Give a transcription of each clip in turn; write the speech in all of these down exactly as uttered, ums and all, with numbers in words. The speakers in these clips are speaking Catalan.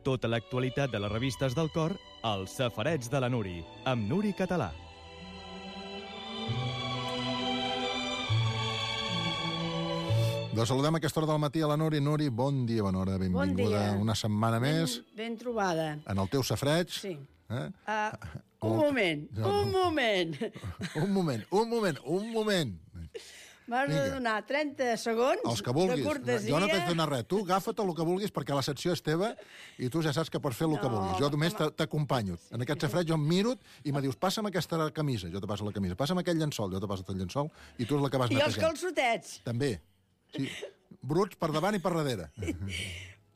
Tota l'actualitat de les revistes del cor als Safarets de la Nuri, amb Nuri Català. Doncs saludem a aquesta hora del matí a la Nuri. Nuri, bon dia, bona hora, benvinguda. Bon dia. Una setmana més. Ben, ben trobada. En el teu safareig. Sí. Eh? Uh, un moment, no, un no. moment. Un moment, un moment, un moment. M'has de donar trenta segons Els que vulguis. de cortesia. Jo no t'he de donar res. Tu agafa't el que vulguis perquè la secció és teva i tu ja saps que pots fer el No, que vulguis. Jo només home. t'acompanyo. En aquest safareig jo em miro i me dius, passa'm aquesta camisa, jo te passo la camisa. Passa'm aquell llençol, jo te passo el llençol i tu és la que vas I els netejant. calçotets. També. Sí. Bruts per davant i per darrere.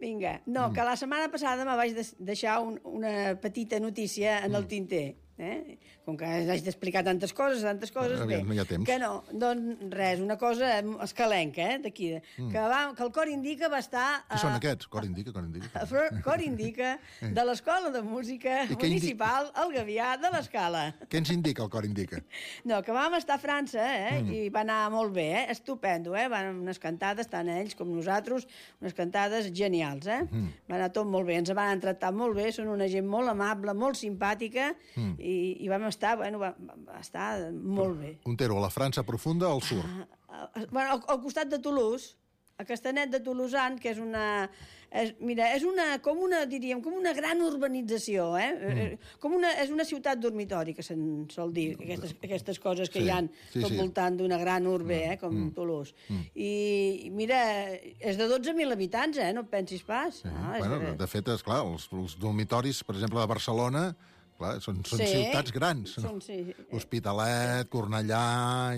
Vinga. No, que la setmana passada me vaig des- deixar un, una petita notícia en el tinter. Eh? Com que haig d'explicar tantes coses, tantes coses, Aviam, bé. no hi ha temps. Que no, doncs res, una cosa escalenca, eh, d'aquí. Mm. Que, va, que el cor indica va estar... Qui són aquests? Cor indica, cor indica. El cor indica de l'Escola de Música I què indi- Municipal El Gavià de l'Escala. Què ens indica el cor indica? No, que vam estar a França, eh? Mm. I va anar molt bé, eh? Estupendo, eh? Van unes cantades, tant ells com nosaltres, unes cantades genials, eh? Mm. Va anar tot molt bé, ens van tractar molt bé, són una gent molt amable, molt simpàtica, mm. i, i vam estar, bueno, va, va estar molt bé. Un tero a la França profunda al sur. Ah, bueno, al, al costat de Toulouse, a Castanet de Tolosan, que és una... És, mira, és una, com una, diríem, com una gran urbanització, eh? Mm. Com una, és una ciutat dormitori, que se'n sol dir, aquestes, aquestes coses que Sí, hi ha sí, tot sí. voltant d'una gran urbe, eh? Com Mm. Toulouse. Mm. I, mira, és de dotze mil habitants, eh? No et pensis pas. Sí. Ah, és, Bueno, de fet, és clar, els, els dormitoris, per exemple, de Barcelona, clar, són, són Sí. ciutats grans. Són, sí. Hospitalet, Cornellà...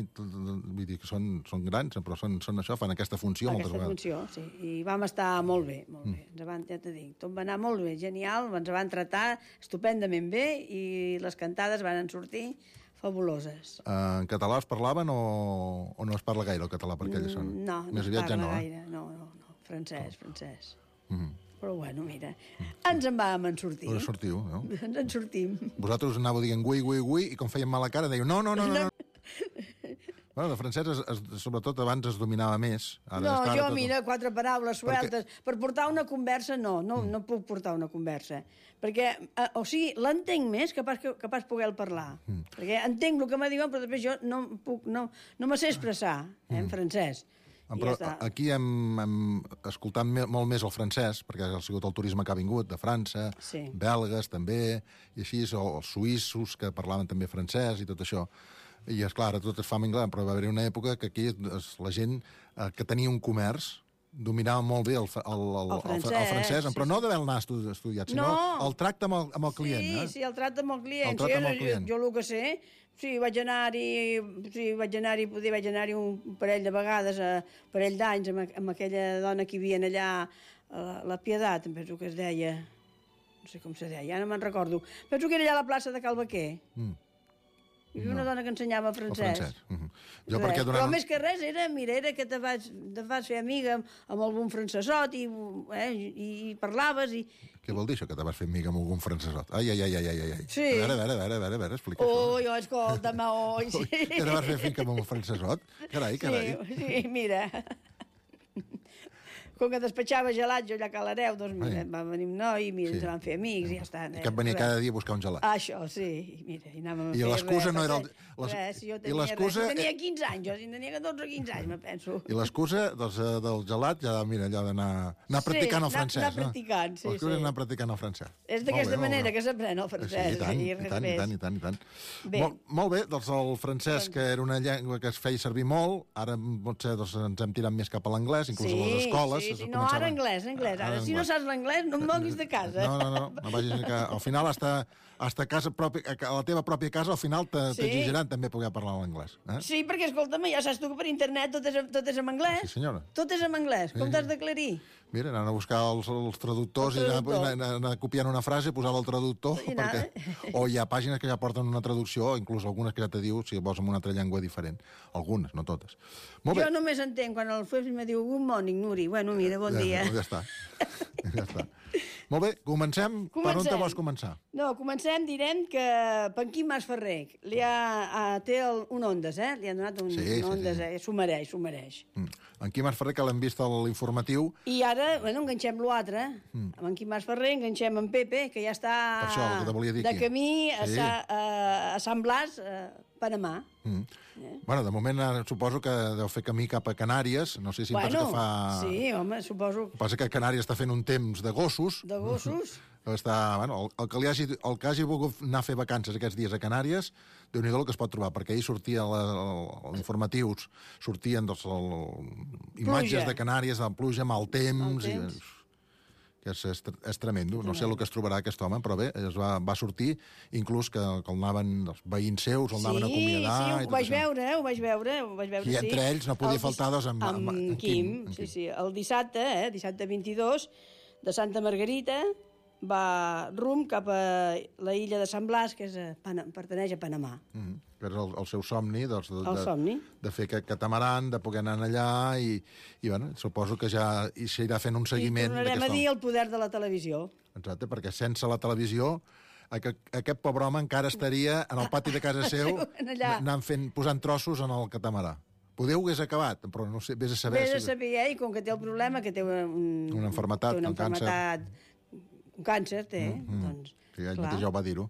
I tot, vull dir que són, són grans, però són, són això, fan aquesta funció moltes Aquesta vegades. funció, sí. I vam estar molt bé, molt bé. Ens van, ja t'ho dic, tot va anar molt bé, genial, ens van tratar estupendament bé i les cantades van sortir fabuloses. Uh, en català es parlaven o, o no es parla gaire el català per aquella zona? No, no Més es aviat ja parla no, gaire. No, no, no. Francès, francès. Eh? Mm. Però bueno, mira, ens en vam en sortir. Us sortiu, no? Ens en sortim. Vosaltres anàveu dient gui, gui, gui, i com feien mala cara, dèieu no, no, no, no. no. Bueno, de francès, es, es, sobretot abans es dominava més. Ara, No, és clar, jo, tot... mira, quatre paraules sueltes. Perquè- Per portar una conversa, no, no, mm. no puc portar una conversa. Perquè, eh, o sigui, l'entenc més que pas, que, que pas poder parlar. Mm. Perquè entenc el que me diuen, però després jo no puc, no, no me sé expressar, eh, en francès. I Però ja està. aquí hem, hem escoltat me, molt més el francès, perquè ha sigut el turisme que ha vingut, de França, Sí. belgues també, i així, o els suïssos que parlaven també francès i tot això. I, esclar, ara tot es fa en anglès, però va haver una època que aquí es, la gent eh, que tenia un comerç dominava molt bé el, el, el, el, El francès, el francès, sí, però sí. no d'haver anar estudiat, sinó No. el tracte amb el, amb el client. Sí, eh? sí, el tracte amb el client. El tracte amb el Sí, client. Jo, jo el que sé, sí, vaig anar-hi, sí, vaig anar-hi, poder vaig anar-hi un parell de vegades, a un parell d'anys, amb, amb aquella dona que hi havia allà, la, la Pietat, em penso que es deia, no sé com se deia, ja no me'n recordo. Penso que era allà a la plaça de Cal Baquer. Mm. Hi havia una dona que ensenyava El francès. francès. Uh -huh. Jo Res. perquè Però durant... més que res era, mira, era que te vas, te vas fer amiga amb, amb algun francesot i, eh, i, i parlaves i... Què vol dir això, que te vas fer amiga amb algun francesot? Ai, ai, ai, ai, ai, ai. Sí. A veure, a veure, a veure, a veure, a veure explica Oi, oh, escolta'm, oi, això. sí. Ui, que te vas fer finca amb un francesot? Carai, carai. Sí, sí, mira. Com que despatxava gelats jo allà a Calareu, doncs mira, Ai. va venir un noi, mira, Sí. ens van fer amics i ja està. I que et venia cada dia a buscar un gelat. Això, sí, i mira, i anàvem a I fer l'excusa res, no era el- res, les- res, jo i tenia, l'excusa- res, jo tenia quinze anys, jo si en tenia catorze o quinze anys, me penso. I l'excusa doncs, eh, del gelat, ja, mira, allò d'anar anar Sí, practicant el anar- francès. anar practicant, sí, no? L'excusa sí. és anar practicant el francès. És Molt d'aquesta bé, molt manera bé. que s'aprèn el francès. Sí, i tant, i i res tant, i més. tant, i tant, i tant. Bé. Molt, molt bé, doncs el francès, que era una llengua que es feia servir molt, ara potser doncs, ens hem tirat més cap a l'anglès, inclús a les escoles. Sí, es sí, no, començava- ara anglès, anglès. Ara, si no saps l'anglès, no em moguis de casa. No, no, no, no vagis que al final hasta, hasta casa propi, a la teva pròpia casa al final te- Sí. t'exigiran també poder parlar l'anglès. Eh? Sí, perquè, escolta'm, ja saps tu que per internet tot és, tot és en anglès. Sí, senyora. Tot és en anglès. Com t'has d'aclarir? Mira, anant a buscar els, els traductors El i anar, traductor. anar, anar copiant una frase, posar-la al traductor, I anar. perquè, o hi ha pàgines que ja porten una traducció, inclús algunes que ja te diu si vols en una altra llengua diferent. Algunes, no totes. Molt bé. Jo només entenc quan el Fuebs me diu good morning, Nuri. Bueno, mira, bon ja, dia. Ja està. Ja està. Molt bé, comencem. Comencem. Per on te vols començar? No, comencem, direm que Panquim Mas Ferrer li ha, ha, té el, un Ondes, eh? Li han donat un, Sí, un sí, Ondes, sí. eh? S'ho mereix, s'ho mereix. Mm. En Quim Ferrer, que l'hem vist a l'informatiu. I ara, bueno, enganxem l'altre. Mm. Amb en Quim Mas Ferrer enganxem en Pepe, que ja està Per això, el que te volia dir de aquí. camí a, Sí. Sa, a, a Sant Blas, a Panamà. Mm. Eh? Bueno, de moment eh, suposo que deu fer camí cap a Canàries. No sé si em Bueno, pensa que fa... sí, home, suposo... El que passa que Canàries està fent un temps de gossos. De gossos. Està, bueno, el, el, que li hagi, el que hagi volgut anar a fer vacances aquests dies a Canàries, déu-n'hi-do el que es pot trobar, perquè ahir sortia els informatius, sortien doncs, el, imatges de Canàries, de pluja, mal temps... Mal temps. I, que és, és, és tremendo. No sé el que es trobarà aquest home, però bé, es va, va sortir, inclús que, que el anaven, els veïns seus el anaven a acomiadar. Sí, sí, i ho tot vaig això. veure, ho vaig veure, ho vaig veure, I sí. entre ells no podia El faltar, dis- doncs, amb- amb- amb amb Quim, Quim, amb sí, Quim. sí. El dissabte, eh, dissabte vint-i-dos, de Santa Margarita, va rum cap a la illa de Sant Blas, que és a Pana, pertaneix a Panamà. Mm -hmm. Que és el, el seu somni, doncs, de, El de, somni. de fer aquest catamaran, de poder anar allà, i, i bueno, suposo que ja hi s'irà fent un seguiment. I tornarem a d'aquesta- dir el poder de la televisió. Exacte, perquè sense la televisió aquest, aquest pobre home encara estaria en el pati de casa seu allà. anant fent, posant trossos en el catamarà. Poder ho hagués acabat, però no sé, vés a saber... Vés a si- saber, eh? I com que té el problema, que té un, Una malaltia, té una un càncer. malaltia, un càncer, té, Mm, mm. doncs... Sí, ell clar. mateix ja ho va dir-ho.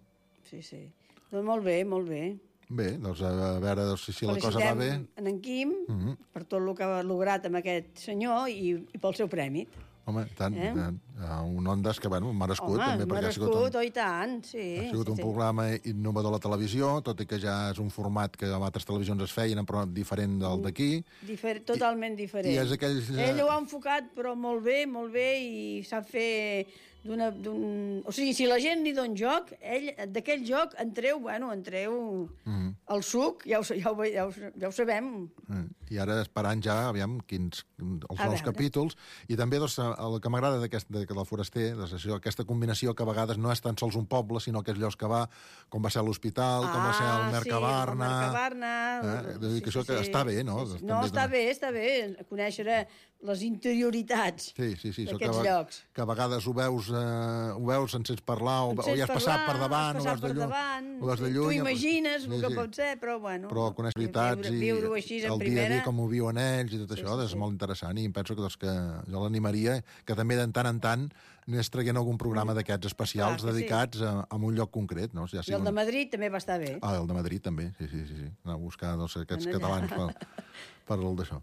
Sí, sí. Doncs molt bé, molt bé. Bé, doncs a veure doncs, si, si la cosa va bé... Felicitem en Quim Mm -hmm. per tot el que ha lograt amb aquest senyor i, i pel seu prèmit. Home, tant, Eh? eh? un Ondas que, bueno, merescut, Home, també, perquè ha sigut merescut, un, oh, i tant, sí. ha sigut sí, un sí. programa innovador a la televisió, tot i que ja és un format que a altres televisions es feien, però diferent del d'aquí. Difer totalment diferent. i és aquells, eh, Ell ho ha enfocat, però molt bé, molt bé, i sap fer d'una... d'un... O sigui, si la gent li dona joc, ell d'aquell joc en treu, bueno, en treu Mhm. el suc, ja ho, ja ho, ja ho, ja ho sabem. Eh, I ara esperant ja, aviam, quins, els A nous veure. capítols. I també doncs, el que m'agrada d'aquest de, del foraster, doncs, això, aquesta combinació que a vegades no és tan sols un poble, sinó aquells llocs que va, com va ser l'Hospital, com va ser el Mercabarna... Ah, sí, el Mercabarna... Eh? Vull dir que això que està bé, no? Sí, sí. També No, està dona- bé, està bé, conèixer les interioritats Sí, sí, sí. això que, d'aquests a- llocs. que a vegades ho veus, eh, ho veus sense parlar, o, En o sents ja has passat parlar, per davant, has o passat veus de per lluny. davant, Ho veus de tu lluny, imagines sí, el que sí. pot ser, però bueno... Però coneix veritats i viure-ho així en el dia a primera... dia com ho viuen ells i tot Sí, això, sí, és sí. molt interessant i em penso que, doncs, que jo l'animaria que també de tant en tant anés traient algun programa d'aquests especials Clar que sí. dedicats a, a un lloc concret, no? Ja I sigui el de un- Madrid també va estar bé. Ah, el de Madrid també, sí, sí, sí. sí. Anar a buscar doncs, aquests Anar allà. catalans per, per el d'això.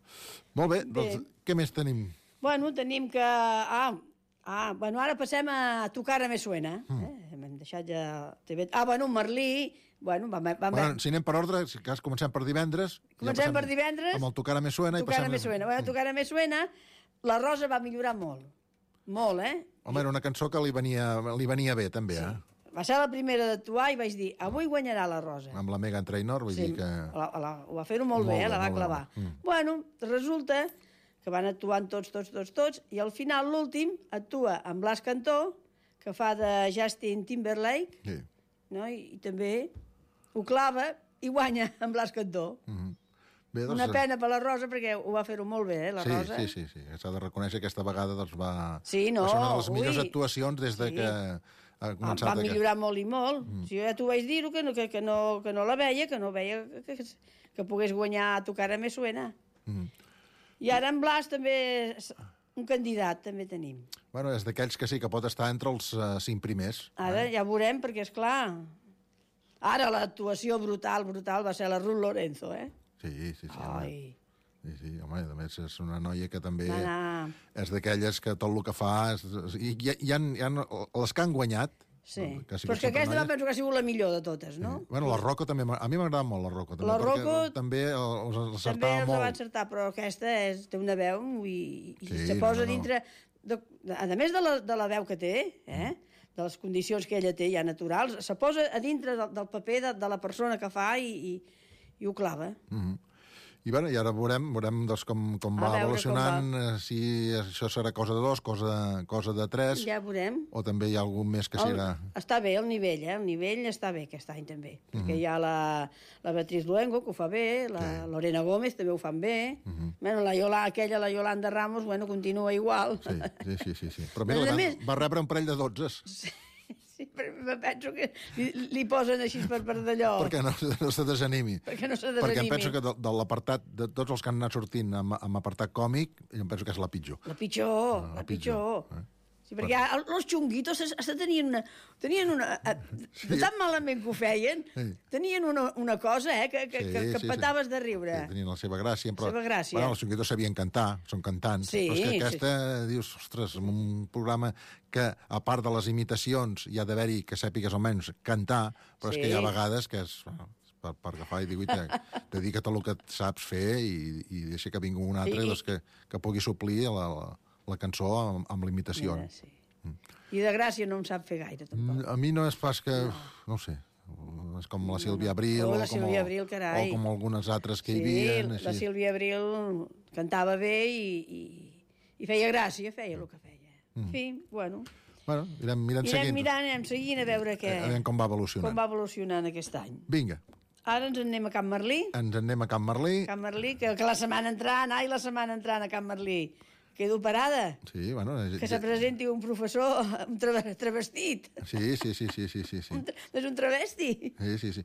Molt bé, Bé. doncs què més tenim? Bueno, tenim que... Ah, ah bueno, ara passem a Tu cara me suena. Mm. Eh? Hem deixat ja... T V. Ah, bueno, Merlí... Bueno, vam, vam, Bueno, si anem per ordre, si cas comencem per divendres... Comencem passem per divendres. Amb el Tu cara me suena. Tu i cara passem... me suena. Bueno, Tu cara me suena, la Rosa va millorar molt. Molt, eh? Home, era una cançó que li venia, li venia bé, també, sí. eh? Va ser la primera d'actuar i vaig dir, avui guanyarà la Rosa. Amb la Megan Trainor, vull Sí, dir que... la, la, ho va fer-ho molt, Molt bé, eh? bé, La va molt bé, clavar. molt bé. Mm. Bueno, resulta que van actuant tots, tots, tots, tots, i al final, l'últim, actua amb Blas Cantó, que fa de Justin Timberlake, Sí. no? I, i també ho clava i guanya amb Blas Cantó. Mm-hmm. Bé, doncs, Una pena per la Rosa, perquè ho va fer-ho molt bé, eh, la sí, Rosa. Sí, sí, sí. S'ha de reconèixer que aquesta vegada doncs, va, Sí, no, va ser una de les millors ui. actuacions des de Sí. que ha Va, començat... va aquest- millorar molt i molt. Mm. Si jo ja t'ho vaig dir, que no, que, que, no, que no la veia, que no veia que, que, que pogués guanyar a Tu cara me suena. Mm. I ara en Blas també és un candidat, també tenim. Bueno, és d'aquells que sí, que pot estar entre els uh, cinc primers. Ara ja veurem, perquè, és clar, ara l'actuació brutal, brutal, va ser la Ruth Lorenzo, eh? Sí, sí, sí. Home. Ai, Sí, sí, home, a més és una noia que també va anar... és d'aquelles que tot el que fa... És, és, i hi, ha, hi, ha, hi ha les que han guanyat... Sí, que ha sigut però és que sempre aquesta noies. penso que ha sigut la millor de totes, no? Sí. Bueno, la Rocco també... m'ha- A mi m'agrada molt la Rocco. També, La perquè Rocco també els També acertava els va molt. encertar, però aquesta és, té una veu i, i Sí, se posa no, no. dintre... De, a més de la, de la veu que té, eh? de les condicions que ella té ja naturals, se posa a dintre del, del paper de, de la persona que fa i, i, i ho clava. Mm -hmm. I, bueno, i ara veurem, veurem doncs, com, com va evolucionant, com va. Si això serà cosa de dos, cosa, cosa de tres... Ja veurem. O també hi ha algun més que serà... El, està bé el nivell, eh? El nivell està bé aquest any també. Uh -huh. Perquè hi ha la, la Beatriz Luengo, que ho fa bé, la sí. Lorena Gómez també ho fan bé. Uh -huh. Bueno, la Yola, aquella, la Yolanda Ramos, bueno, continua igual. Sí, sí, sí. sí, sí. Però mira, més... va rebre un parell de dotzes. Sí. Sí, però penso que li, li posen així per, per d'allò. Perquè no, no se desanimi. Perquè no se desanimi. Perquè em penso que de, de l'apartat, de tots els que han anat sortint amb, amb apartat còmic, em penso que és la pitjor. La pitjor, la, la pitjor. pitjor. Eh? Sí, perquè però... els xunguitos hasta tenien una... Tenien una sí. De tan malament que ho feien, sí. tenien una, una cosa, eh, que, que, sí, que, que sí, petaves sí. de riure. Sí, tenien la seva gràcia. Però, seva gràcia. Bueno, els xunguitos sabien cantar, són cantants. Sí, però és que aquesta, sí. dius, ostres, un programa que, a part de les imitacions, hi ha d'haver-hi que sàpigues almenys cantar, però sí. és que hi ha vegades que és... Per, per agafar i dir, dedica't a el que saps fer i, i deixa que vingui un altre sí. doncs que, que pugui suplir la... la la cançó amb, amb l'imitació. Ja, sí. mm. I de gràcia no em sap fer gaire, tampoc. A mi no és pas que... No, no ho sé. És com la Sílvia Abril, no, no. Oh, la o, com Sílvia el, Abril, carai. o com algunes altres que sí, hi havia. Sí, la Sílvia Abril cantava bé i, i, i feia gràcia, feia el que feia. Mm. En fi, bueno... Bueno, irem, mirant irem seguint. mirant, anirem seguint a veure què... A veure com va evolucionant. Com va evolucionant aquest any. Vinga. Ara ens en anem a Can Merlí. Ens en anem a Can Merlí. Can Merlí, que, que la setmana entrant, ai, la setmana entrant a Can Merlí. Quedo parada. Sí, bueno... Que se presenti un professor un tra travestit. Sí, sí, sí, sí, sí, sí. Un és un travesti. Sí, sí, sí.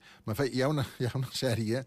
Hi ha una, hi ha una sèrie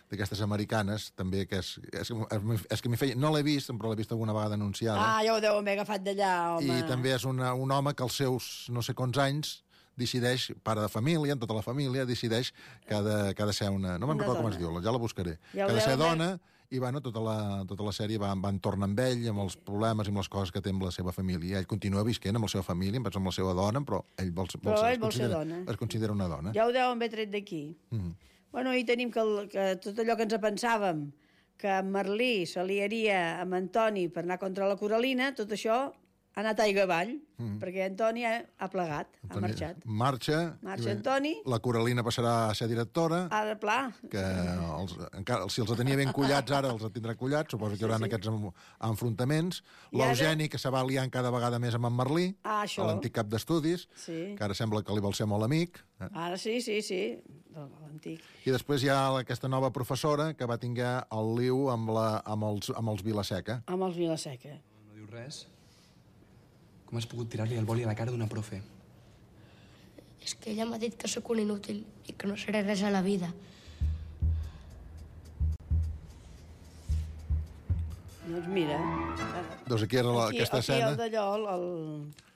d'aquestes americanes, també, que és, és, és que m'hi feia... No l'he vist, però l'he vist alguna vegada anunciada. Ah, ja ho deu haver agafat d'allà, home. I també és una, un home que als seus no sé quants anys decideix, pare de família, en tota la família, decideix que ha de, que ha de ser una... No me'n recordo com es diu, ja la buscaré. Ja que ha de ser dona... I, bueno, tota la, tota la sèrie va, va entorn amb ell, amb els problemes i amb les coses que té amb la seva família. Ell continua visquent amb la seva família, amb la seva dona, però ell vol, vol, però ser, ell vol ser dona. Es considera una dona. Ja ho deuen haver tret d'aquí. Mm -hmm. Bueno, i tenim que, el, que tot allò que ens pensàvem, que en Merlí s'aliaria amb Antoni per anar contra la Coralina, tot això ha anat aigua avall, mm. perquè Antoni ha, ha plegat, Antoni, ha marxat. Marxa. Marxa Antoni. La Coralina passarà a ser directora. Ah, de pla. Que els, encara, si els tenia ben collats ara, els tindrà collats. Suposo que hi haurà sí, sí. aquests enfrontaments. L'Eugeni, ara... que se va liant cada vegada més amb en Merlí, ah, l'antic cap d'estudis, sí. que ara sembla que li vol ser molt amic. Eh? Ara sí, sí, sí, l'antic. I després hi ha aquesta nova professora que va tinguer el liu amb, la, amb, els, amb els Vilaseca. Amb els Vilaseca. No, no diu res. Com has pogut tirar-li el boli a la cara d'una profe? És que ella m'ha dit que sóc un inútil i que no seré res a la vida. Doncs mira... Doncs aquí era la, aquí, aquesta aquí escena... Aquí d'allò,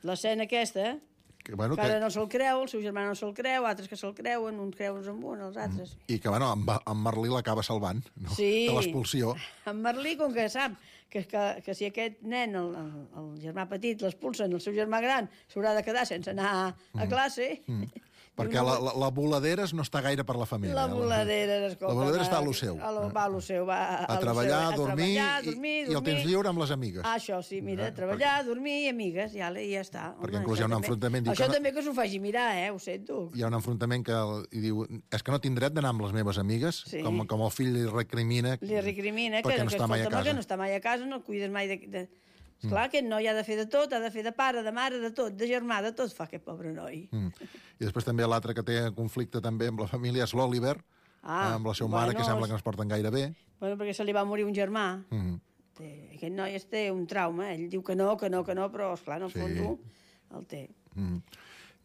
l'escena aquesta, que, bueno, que, que ara no se'l creu, el seu germà no se'l creu, altres que se'l creuen, uns creuen amb un, els altres... I que, bueno, en, en Merlí l'acaba salvant, no? Sí. De l'expulsió. En Merlí, com que sap que, que, que si aquest nen, el, el, el germà petit, l'expulsen, el seu germà gran s'haurà de quedar sense anar a classe... Mm. Mm. Perquè la, la, la Voladeres no està gaire per la família. La Voladeres, escolta... La Voladeres està a lo seu. A lo, va a lo seu, va a, a, treballar, seu, a, dormir, a treballar, dormir, i, dormir, i el temps lliure amb les amigues. Ah, això sí, mira, eh? treballar, perquè... dormir i amigues, i ja, ja està. Perquè inclús hi ha un enfrontament... Això que també que s'ho faci mirar, eh, ho sento. Hi ha un enfrontament que i diu, és que no tinc dret d'anar amb les meves amigues, sí. com, com el fill li recrimina... Li recrimina que, no que, està mai a casa. que no està mai a casa, no el cuides mai de... de... Esclar, mm. aquest noi ha de fer de tot, ha de fer de pare, de mare, de tot, de germà, de tot fa aquest pobre noi. Mm. I després també l'altre que té conflicte també amb la família és l'Oliver, ah, amb la seva bueno, mare, que sembla que no es porten gaire bé. Bueno, perquè se li va morir un germà. Mm. Té, aquest noi té un trauma, ell diu que no, que no, que no, però, esclar, en el fons sí. el té. Mm.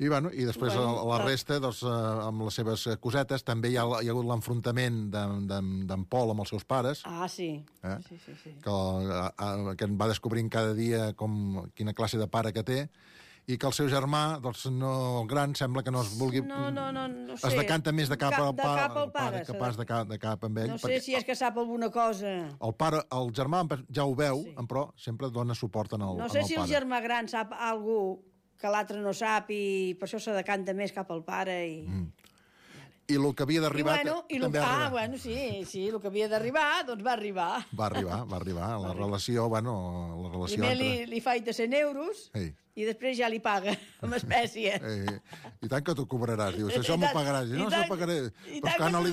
I, bueno, i després bueno, la resta, doncs, eh, amb les seves cosetes, també hi ha, hi ha hagut l'enfrontament d'en Pol amb els seus pares. Ah, sí. Eh? sí, sí, sí. Que, a, que en va descobrint cada dia com, quina classe de pare que té, i que el seu germà, doncs, no, el gran, sembla que no es vulgui... No, no, no, no sé. Es decanta més de cap, cap, al, de pa, cap al pare. que pas de cap, de cap amb ell. No sé si és que sap alguna cosa. El pare, el germà ja ho veu, sí. però sempre dona suport en el, no sé en el si pare. El germà gran sap alguna cosa que l'altre no sap i per això se decanta més cap al pare i... Mm. I el que havia d'arribar... I, bueno, i lo... també Ah, bueno, sí, sí, el que havia d'arribar, doncs va arribar. Va arribar, va arribar. La relació, bueno, la relació Primer entre... li, li faig de cent euros, Ei. i després ja li paga amb espècie. Eh, I tant que t'ho cobraràs. Dius, això m'ho pagaràs. I no, això pagaré. I Però tant que que no li...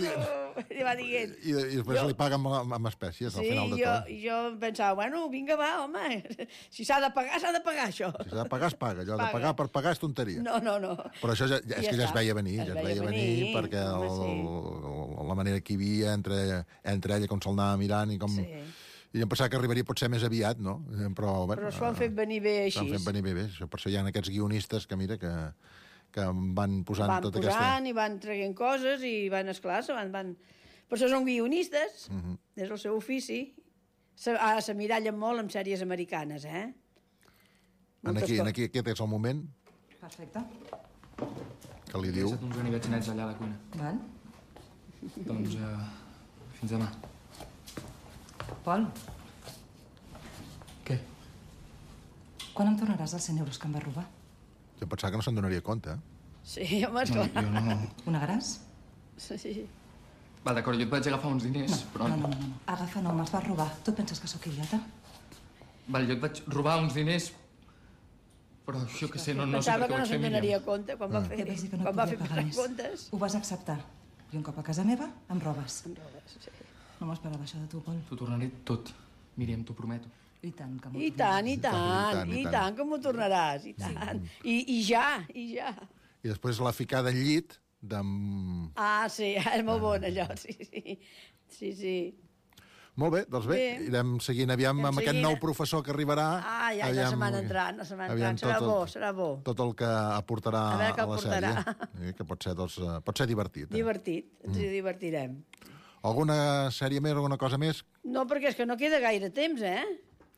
li va dient. I, i després Jo- li paguen amb, amb espècies al Sí, final de jo, tot. jo pensava, bueno, vinga, va, home, si s'ha de pagar, s'ha de pagar, això. Si s'ha de pagar, es paga. Allò de Paga. pagar per pagar és tonteria. No, no, no. Però això ja, ja, I és ja que ja es està. veia venir, Es ja es veia veia venir, venir, perquè el, home, el, la manera que hi havia entre, entre ella, com se'l anava mirant i com... Sí. I em pensava que arribaria potser més aviat, no? Però, bueno, Però s'ho han fet venir bé així. S'han fet venir bé, bé. Això, per això hi ha aquests guionistes que, mira, que, que van posant Van tota posant aquesta... i van traient coses i van, esclar, se van, van... Per això són guionistes, Uh -huh. és el seu ofici. Se, ara s'emmirallen molt amb sèries americanes, eh? En Moltes aquí, en co- aquí, aquest és el moment Perfecte. que li He diu... deixat uns ganivets nets allà a la cuina. Val. Doncs, uh, fins demà. Pol, Què? quan em tornaràs els cent euros que em vas robar? Jo pensava que no se'n donaria compte, eh? Sí, home, No, esclar. jo no... Ho negaràs? Sí. Val, d'acord, jo et vaig agafar uns diners, No, però... no, no, no, no. Agafa, no, me'ls vas robar. Tu et penses que sóc idiota? Val, jo et vaig robar uns diners, però jo què sé, no, no sé Pensava per què que ho no vaig fer, se'n Míriam. donaria compte quan va fer, Ja vaig dir que no quan va podia fer pagar pagar més. comptes. Ho vas acceptar. I un cop a casa meva, em robes. Em robes, sí. No m'esperava això de tu, Pol. T'ho tornaré tot, Míriam, t'ho prometo. I tant, que m'ho I tant, i I tant, tant, i i tant. tant, que m'ho tornaràs, i tant. I, I ja, i ja. I després la ficada al llit de... Ah, sí, és molt bon allò, sí, sí. Sí, sí. Molt bé, doncs bé, Bé. irem seguint aviam Anem amb aquest seguint. nou professor que arribarà. Ah, ja, ja se m'han entrant, no se m'han aviam entrant. Serà tot el- bo, serà bo. Tot el que aportarà A veure què a la aportarà. sèrie. Eh, Que pot ser, doncs, eh, pot ser divertit. Eh? Divertit, ens Mm. hi divertirem. Alguna sèrie més, alguna cosa més? No, perquè és que no queda gaire temps, eh?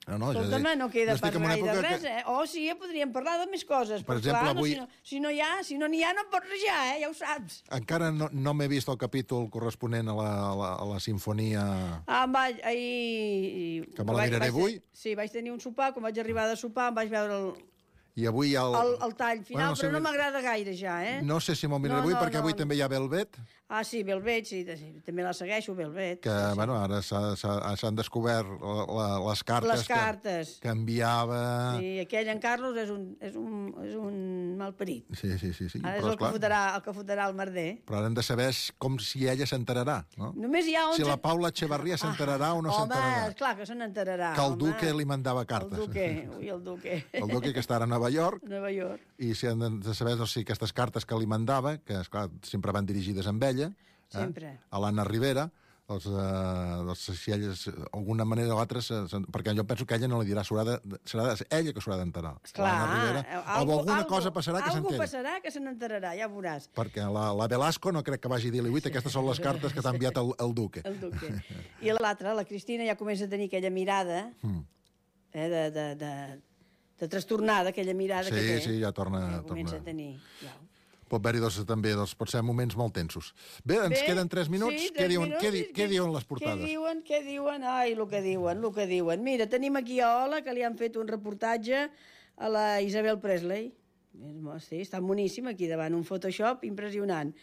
No, no, ja Escolta'm, dic, no queda jo estic pas en una gaire època res, que- eh? Oh, sí, ja podríem parlar de més coses. Per però exemple, clar, avui- no, si, no, si no hi ha, si no n'hi ha, no en pots rajar, eh? Ja ho saps. Encara no, no m'he vist el capítol corresponent a la, a la, a la sinfonia... Ah, em vaig, ahir... Que me la vaig- miraré vaig- avui. Sí, vaig tenir un sopar, quan vaig arribar de sopar em vaig veure el, I avui el... el, el tall final, Bueno, però sí, no m'agrada gaire ja, eh? No sé si me'l miraré No, avui, no, perquè avui no. també hi ha Velvet, Ah, sí, Velvet, sí, sí, també la segueixo, Velvet. que, bueno, ara s'ha- s'ha- s'han descobert la, la, les cartes, Les cartes. Que, que enviava... Sí, aquell en Carlos és un, és un, és un malparit. Sí, sí, sí. sí. Ara és Però, el que, esclar, fotrà, el que fotrà el merder. però ara hem de saber com si ella s'enterarà, no? Només hi ha onze... Si la Paula Echevarría s'enterarà o no Home, s'enterarà. clar que se n'enterarà. Que el home. Duque li mandava cartes. El Duque, ui, el Duque. El Duque, que està ara a Nova York, A Nova York. i si han de saber no, si aquestes cartes que li mandava, que esclar, sempre van dirigides amb ella, Sempre. eh, a l'Anna Rivera, doncs, eh, doncs, si ella, d'alguna manera o altra, se, se, perquè jo penso que ella no li dirà, s'haurà de, serà de, ella que s'haurà d'enterar. Clar, l'Anna Rivera, o alguna cosa passarà que Algú s'enteri. passarà que se n'enterarà, ja veuràs. Perquè la, la Velasco no crec que vagi a dir-li, ui, aquestes són les cartes que t'ha enviat el, el Duque. El Duque. I l'altra, la Cristina, ja comença a tenir aquella mirada Mm. eh, de, de, de, de trastornada, aquella mirada Sí, que té. sí, ja torna- Ja comença torna. a tenir. Ja. Pot haver-hi doncs, també, doncs, pot ser moments molt tensos. Bé, ens Bé, queden tres minuts. sí, què, tres diuen, minuts, què, di, i què diuen les portades? Què diuen, què diuen? Ai, el que diuen, el que diuen. Mira, tenim aquí a Ola, que li han fet un reportatge a la Isabel Presley. Sí, està boníssim aquí davant, un Photoshop impressionant.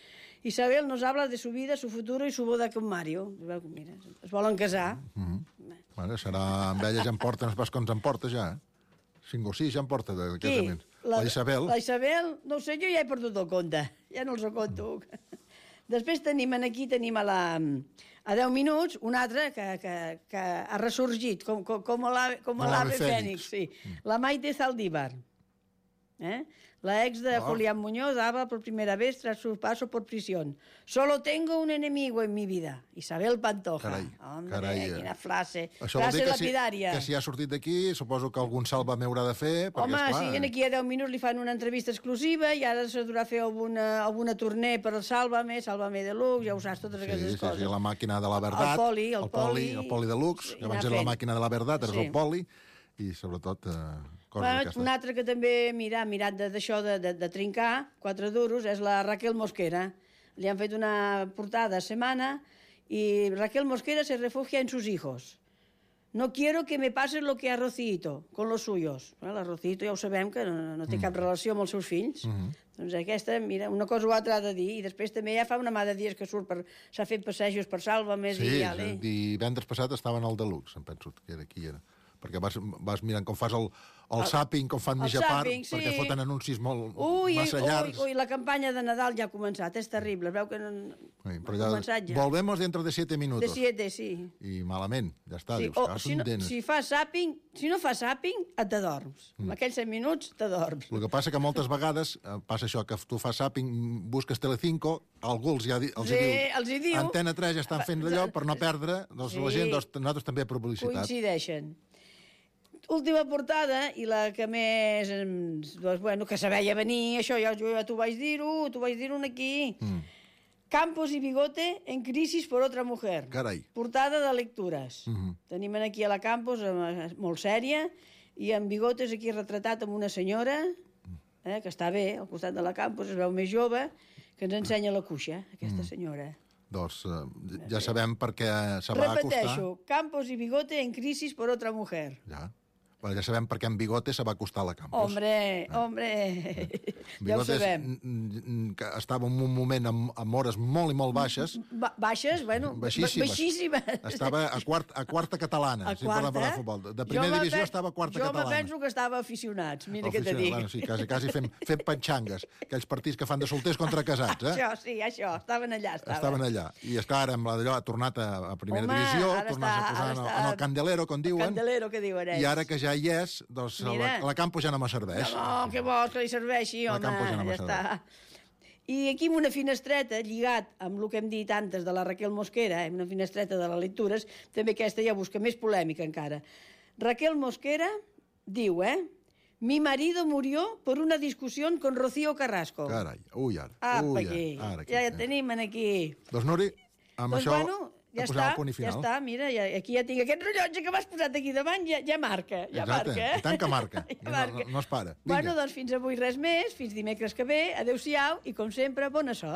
Isabel nos habla de su vida, su futuro y su boda con Mario. Mira, es volen casar. Mm -hmm. Bueno, serà amb ella ja em porta, no pas com ens en porta ja, eh? Cinc o sis ja em porta de Qui? casaments. La, la Isabel. La Isabel, no ho sé, jo ja he perdut el compte. Ja no els ho conto. Després tenim aquí, tenim a la... A deu minuts, una altra que, que, que ha ressorgit, com, com, com l'ave com Com l'ave l'ave Fènix, sí. La Maite Zaldívar. ¿Eh? La ex de Oh. Julián Muñoz daba por primera vez tras su paso por prisión. Solo tengo un enemigo en mi vida, Isabel Pantoja. Carai, Hombre, carai, eh. quina frase. Això vol frase dir que si, lapidària. que si ha sortit d'aquí, suposo que algun sàlvame haurà de fer, perquè, Home, esclar... sí, aquí a deu minuts li fan una entrevista exclusiva i ara se durà fer alguna, alguna torner per al Sálvame, Sálvame Deluxe, ja ho saps, totes Sí, aquestes sí, coses. sí, la màquina de la verdad. El poli, el el poli, poli, el poli deluxe, i que abans anar era la fent. màquina de la verdad, ara és Sí. el poli, i sobretot eh, coses Bueno, d'aquestes. una altra que també mira, ha mirat de- d'això de, de, de trincar, quatre duros, és la Raquel Mosquera. Li han fet una portada a Semana i Raquel Mosquera se refugia en sus hijos. No quiero que me pase lo que a Rocito, con los suyos. Bueno, la Rocito ja ho sabem que no, no té cap relació amb els seus fills. Mhm. Doncs aquesta, mira, una cosa o altra ha de dir. I després també ja fa una mà de dies que surt per... S'ha fet passejos per Sálvame. Sí, i sí, ale. divendres passat estaven al deluxe, em penso que era aquí. Era. perquè vas, vas mirant com fas el, el, el zapping, com fan el mitja part, zapping, sí. perquè foten anuncis molt Ui, massa llargs. Ui, ui, la campanya de Nadal ja ha començat, és terrible. Es veu que no, Ui, no però ha ja, començat ja. volvemos dentro de siete minutos. De siete, sí. I malament, ja està, sí. dius, O, que si, no, si fas zapping, si no fas zapping, et t'adorms. Mm. En aquells set minuts t'adorms. El que passa que moltes vegades eh, passa això, que tu fas zapping, busques Telecinco, algú els, ja, di- els Sí, hi diu, els hi diu. Antena tres ja estan fent d'allò per no perdre, doncs Sí. la gent, doncs, nosaltres també per publicitat. Coincideixen. Última portada, i la que més... ens- Doncs, bueno, que se veia venir, això ja, jo ja t'ho vaig dir-ho, t'ho vaig dir-ho aquí. Mm. Campos y Bigote en crisis por otra mujer. Carai. Portada de lectures. Mm -hmm. Tenim aquí a la Campos, eh, molt sèria, i en Bigotes aquí retratat amb una senyora, eh, que està bé, al costat de la Campos, es veu més jove, que ens ensenya la cuixa, aquesta mm. senyora. Doncs eh, ja sabem per què se va acostar. Repeteixo, Campos y Bigote en crisis por otra mujer. Ja. Però ja sabem per què en Bigote se va acostar a la Campos. Hombre, ah. hombre, ja ho sabem. Que estava en un moment amb, amb hores molt i molt baixes. Ba baixes, bueno, baixíssimes. baixíssimes. Estava a, quart, a quarta catalana, a si quarta? parlem de futbol. De primera divisió estava a quarta jo catalana. Jo me penso que estava aficionats, mira què te Aficionats, dic. Bueno, sí, quasi, quasi fent, fent panxangues, aquells partits que fan de solters contra casats, eh? Això, sí, això, estaven allà. Estaven, estaven allà. I, esclar, ara amb la d'allò ha tornat a, a primera Home, divisió, ara tornat està- a posar ara en, el- està- en el candelero, com diuen. Candelero, que diuen ells. I ara que ja hi és, doncs la, la Campos ja no me serveix. No, què vols que li serveixi, La home, Campos ja no ja me està. I aquí amb una finestreta, lligat amb el que hem dit antes de la Raquel Mosquera, eh, una finestreta de les lectures, també aquesta ja busca més polèmica encara. Raquel Mosquera diu, eh? Mi marido murió por una discusión con Rocío Carrasco. Carai, ui, ara. Apa, ui, aquí. ara, aquí. Ja ja tenim aquí. Doncs, Nuri, amb Doncs, això bueno, ja posem està, el punt i ja final. està, mira, ja, aquí ja tinc aquest rellotge que m'has posat aquí davant, ja, ja marca, ja Exacte, marca. Eh? i tant que marca. ja No, marca. no, no es para. Vinga. Bueno, doncs fins avui res més, fins dimecres que ve, adeu-siau, i com sempre, bona sort.